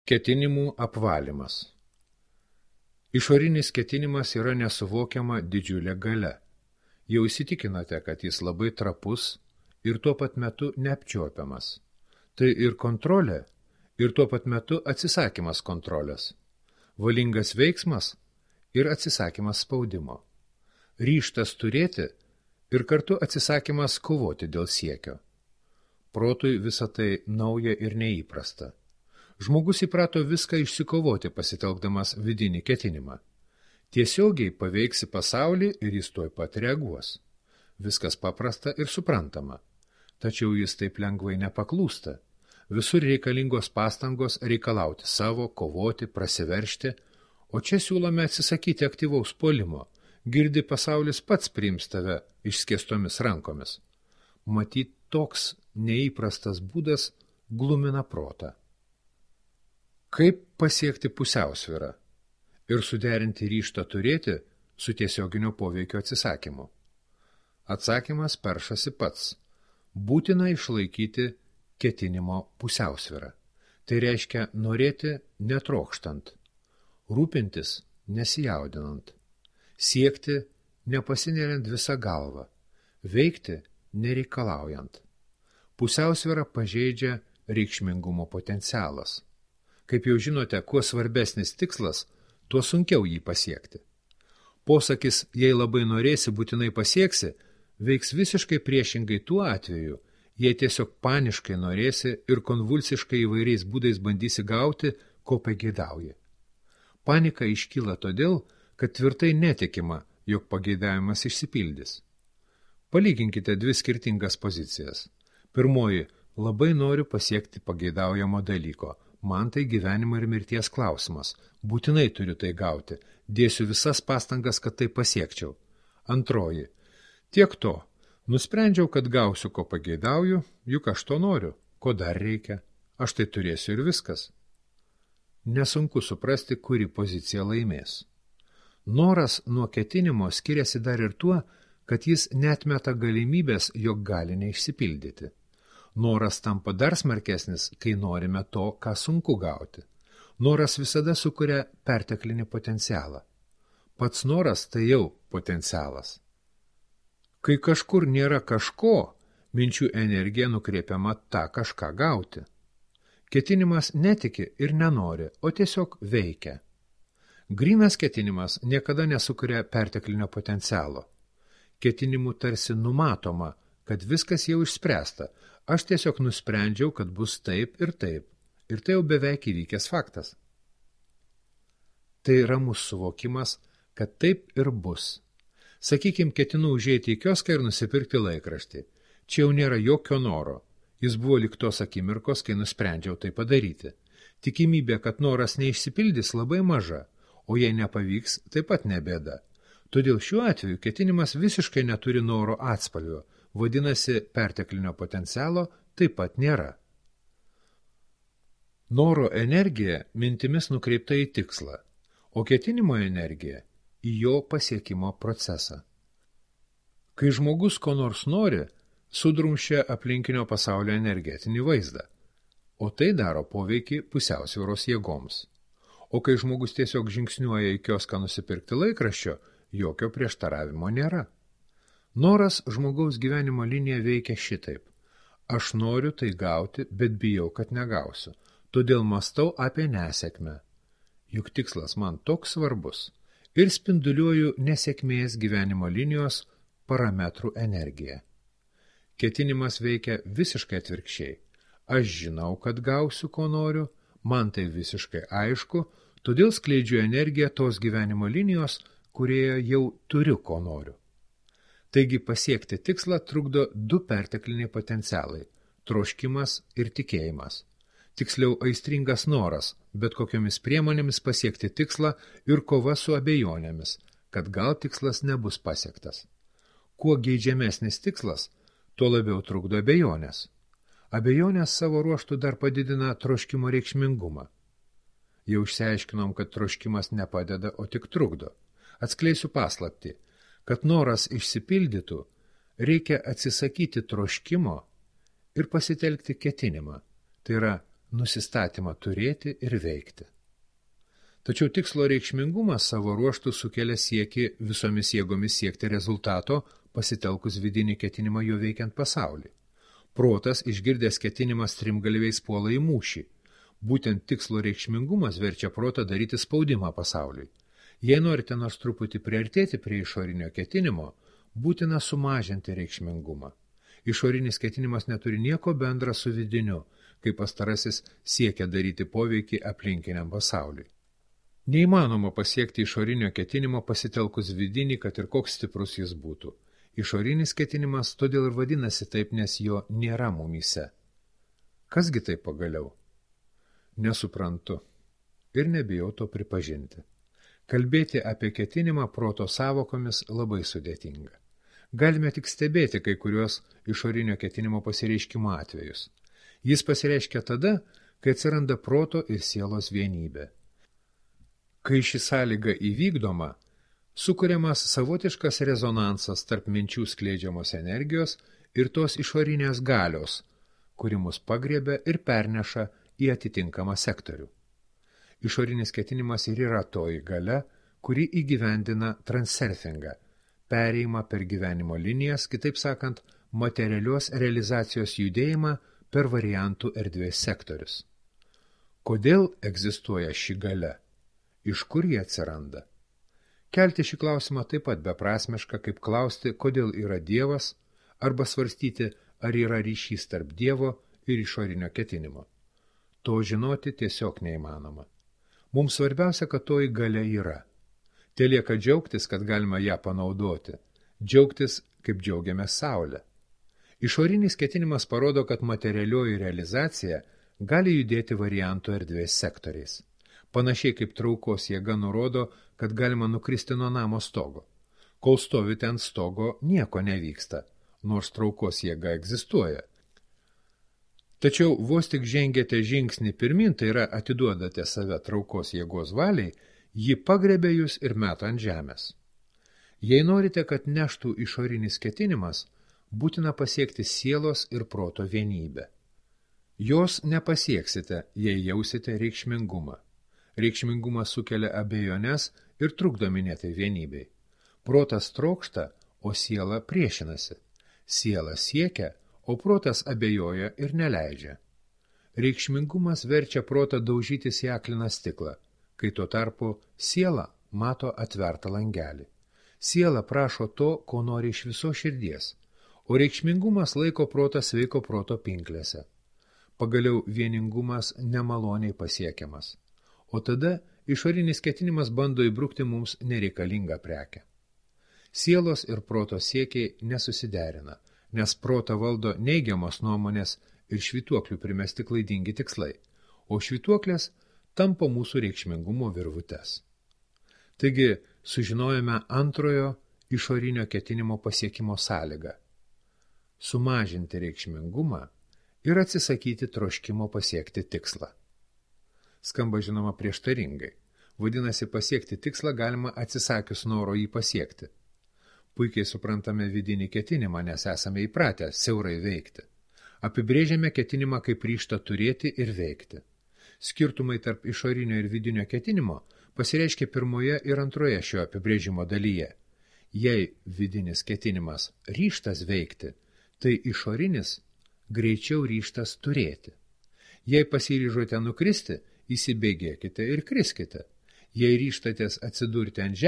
Ketinimų apvalymas. Išorinis ketinimas yra nesuvokiama didžiulė galia. Jau įsitikinote, kad jis labai trapus ir tuo pat metu neapčiuopiamas. Tai ir kontrolė, ir tuo pat metu atsisakymas kontrolės. Valingas veiksmas ir atsisakymas spaudimo. Ryžtas turėti ir kartu atsisakymas kovoti dėl siekio. Protui visa tai nauja ir neįprasta. Žmogus įprato viską išsikovoti pasitelkdamas vidinį ketinimą. Tiesiogiai paveiksi pasaulį ir jis tuoj pat reaguos. Viskas paprasta ir suprantama. Tačiau jis taip lengvai nepaklūsta. Visur reikalingos pastangos reikalauti savo, kovoti, prasiveržti, o čia siūlome atsisakyti aktyvaus puolimo. Girdi pasaulis pats priims tave išskėstomis rankomis. Matyt, toks neįprastas būdas glumina protą. Kaip pasiekti pusiausvyrą ir suderinti ryžtą turėti su tiesioginio poveikio atsisakymu? Atsakymas peršasi pats. Būtina išlaikyti ketinimo pusiausvyrą. Tai reiškia norėti netrokštant, rūpintis nesijaudinant, siekti nepasineriant visą galvą, veikti nereikalaujant. Pusiausvyrą pažeidžia reikšmingumo potencialas. Kaip jau žinote, kuo svarbesnis tikslas, tuo sunkiau jį pasiekti. Posakis, jei labai norėsi, būtinai pasieksi, veiks visiškai priešingai tuo atveju, jei tiesiog paniškai norėsi ir konvulsiškai įvairiais būdais bandysi gauti, ko pageidauji. Panika iškyla todėl, kad tvirtai netikima, jog pageidavimas išsipildys. Palyginkite dvi skirtingas pozicijas. Pirmoji, labai noriu pasiekti pageidaujamo dalyko. Man tai gyvenimo ir mirties klausimas. Būtinai turiu tai gauti. Dėsiu visas pastangas, kad tai pasiekčiau. Antroji. Tiek to. Nusprendžiau, kad gausiu, ko pageidauju, juk aš to noriu. Ko dar reikia? Aš tai turėsiu ir viskas. Nesunku suprasti, kuri pozicija laimės. Noras nuo ketinimo skiriasi dar ir tuo, kad jis neatmeta galimybės, jog gali neišsipildyti. Noras tampa dar smarkesnis, kai norime to, ką sunku gauti. Noras visada sukuria perteklinį potencialą. Pats noras tai jau potencialas. Kai kažkur nėra kažko, minčių energija nukreipiama tą kažką gauti. Ketinimas netiki ir nenori, o tiesiog veikia. Grynas ketinimas niekada nesukuria perteklinio potencialo. Ketinimu tarsi numatoma, kad viskas jau išspręsta. Aš tiesiog nusprendžiau, kad bus taip, ir tai jau beveik įvykęs faktas. Tai ramus suvokimas, kad taip ir bus. Sakykim, ketinu užeiti į kioską ir nusipirkti laikraštį. Čia jau nėra jokio noro. Jis buvo lyg tos akimirkos, kai nusprendžiau tai padaryti. Tikimybė, kad noras neišsipildys, labai maža, o jei nepavyks, taip pat nebėda. Todėl šiuo atveju ketinimas visiškai neturi noro atspalvio. Vadinasi, perteklinio potencialo taip pat nėra. Noro energija mintimis nukreipta į tikslą, o ketinimo energija į jo pasiekimo procesą. Kai žmogus ko nors nori, sudrumščia aplinkinio pasaulio energetinį vaizdą, o tai daro poveikį pusiausvyros jėgoms. O kai žmogus tiesiog žingsniuoja į kioską nusipirkti laikraščio, jokio prieštaravimo nėra. Noras žmogaus gyvenimo linija veikia šitaip. Aš noriu tai gauti, bet bijau, kad negausiu. Todėl mąstau apie nesėkmę. Juk tikslas man toks svarbus. Ir spinduliuoju nesėkmės gyvenimo linijos parametrų energiją. Ketinimas veikia visiškai atvirkščiai. Aš žinau, kad gausiu, ko noriu, man tai visiškai aišku, todėl skleidžiu energiją tos gyvenimo linijos, kurioje jau turiu, ko noriu. Taigi pasiekti tikslą trukdo du pertekliniai potencialai – troškimas ir tikėjimas. Tiksliau aistringas noras, bet kokiomis priemonėmis pasiekti tikslą ir kova su abejonėmis, kad gal tikslas nebus pasiektas. Kuo geidžiamesnis tikslas, tuo labiau trukdo abejonės. Abejonės savo ruožtu dar padidina troškimo reikšmingumą. Jau išsiaiškinom, kad troškimas nepadeda, o tik trukdo. Atskleisiu paslaptį. Kad noras išsipildytų, reikia atsisakyti troškimo ir pasitelkti ketinimą. Tai yra nusistatymą turėti ir veikti. Tačiau tikslo reikšmingumas savo ruožtų sukelia siekį visomis jėgomis siekti rezultato, pasitelkus vidinį ketinimą jo veikiant pasaulį. Protas, išgirdęs ketinimą, strimgalviais puola į mūšį. Būtent tikslo reikšmingumas verčia protą daryti spaudimą pasauliui. Jei norite nors truputį priartėti prie išorinio ketinimo, būtina sumažinti reikšmingumą. Išorinis ketinimas neturi nieko bendra su vidiniu, kai pastarasis siekia daryti poveikį aplinkiniam pasauliui. Neįmanoma pasiekti išorinio ketinimo pasitelkus vidinį, kad ir koks stiprus jis būtų. Išorinis ketinimas todėl ir vadinasi taip, nes jo nėra mumyse. Kasgi tai pagaliau? Nesuprantu ir nebijau to pripažinti. Kalbėti apie ketinimą proto sąvokomis labai sudėtinga. Galime tik stebėti kai kuriuos išorinio ketinimo pasireiškimo atvejus. Jis pasireiškia tada, kai atsiranda proto ir sielos vienybė. Kai ši sąlyga įvykdoma, sukuriamas savotiškas rezonansas tarp minčių skleidžiamos energijos ir tos išorinės galios, kuri mus pagriebia ir perneša į atitinkamą sektorių. Išorinis ketinimas ir yra toji galia, kuri įgyvendina transurfingą, perėjimą per gyvenimo linijas, kitaip sakant, materialios realizacijos judėjimą per variantų erdvės sektorius. Kodėl egzistuoja ši galia? Iš kur jie atsiranda? Kelti šį klausimą taip pat beprasmiška, kaip klausti, kodėl yra Dievas, arba svarstyti, ar yra ryšys tarp Dievo ir išorinio ketinimo. To žinoti tiesiog neįmanoma. Mums svarbiausia, kad toji galia yra. Telieka džiaugtis, kad galima ją panaudoti. Džiaugtis, kaip džiaugiamės saulę. Išorinis ketinimas parodo, kad materialioji realizacija gali judėti variantų erdvės sektoriais. Panašiai kaip traukos jėga nurodo, kad galima nukristi nuo namo stogo. Kol stovite ant stogo, nieko nevyksta, nors traukos jėga egzistuoja. Tačiau vos tik žengėte žingsnį pirmin, tai yra atiduodate save traukos jėgos valiai, ji pagrebia jūs ir meta ant žemės. Jei norite, kad neštų išorinis ketinimas, būtina pasiekti sielos ir proto vienybę. Jos nepasieksite, jei jausite reikšmingumą. Reikšmingumas sukelia abejones ir trukdo minėtai vienybei. Protas trokšta, o siela priešinasi. Siela siekia, o protas abejoja ir neleidžia. Reikšmingumas verčia protą daužytis į akliną stiklą, kai tuo tarpu siela mato atvertą langelį. Siela prašo to, ko nori iš viso širdies, o reikšmingumas laiko protą sveiko proto pinklėse. Pagaliau vieningumas nemaloniai pasiekiamas. O tada išorinis ketinimas bando įbrukti mums nereikalingą prekę. Sielos ir proto siekiai nesusiderina, nes protą valdo neigiamos nuomonės ir švytuoklių primesti klaidingi tikslai, o švytuoklės tampo mūsų reikšmingumo virvutes. Taigi, sužinojome antrojo išorinio ketinimo pasiekimo sąlygą – sumažinti reikšmingumą ir atsisakyti troškimo pasiekti tikslą. Skamba žinoma prieštaringai. Vadinasi, pasiekti tikslą galima atsisakius noro jį pasiekti. Puikiai suprantame vidinį ketinimą, nes esame įpratę siaurai veikti. Apibrėžiame ketinimą kaip ryžtą turėti ir veikti. Skirtumai tarp išorinio ir vidinio ketinimo pasireiškia pirmoje ir antroje šio apibrėžimo dalyje. Jei vidinis ketinimas ryžtas veikti, tai išorinis greičiau ryžtas turėti. Jei pasiryžote nukristi, įsibėgėkite ir kriskite. Jei ryžtatės atsidurti ant žemės,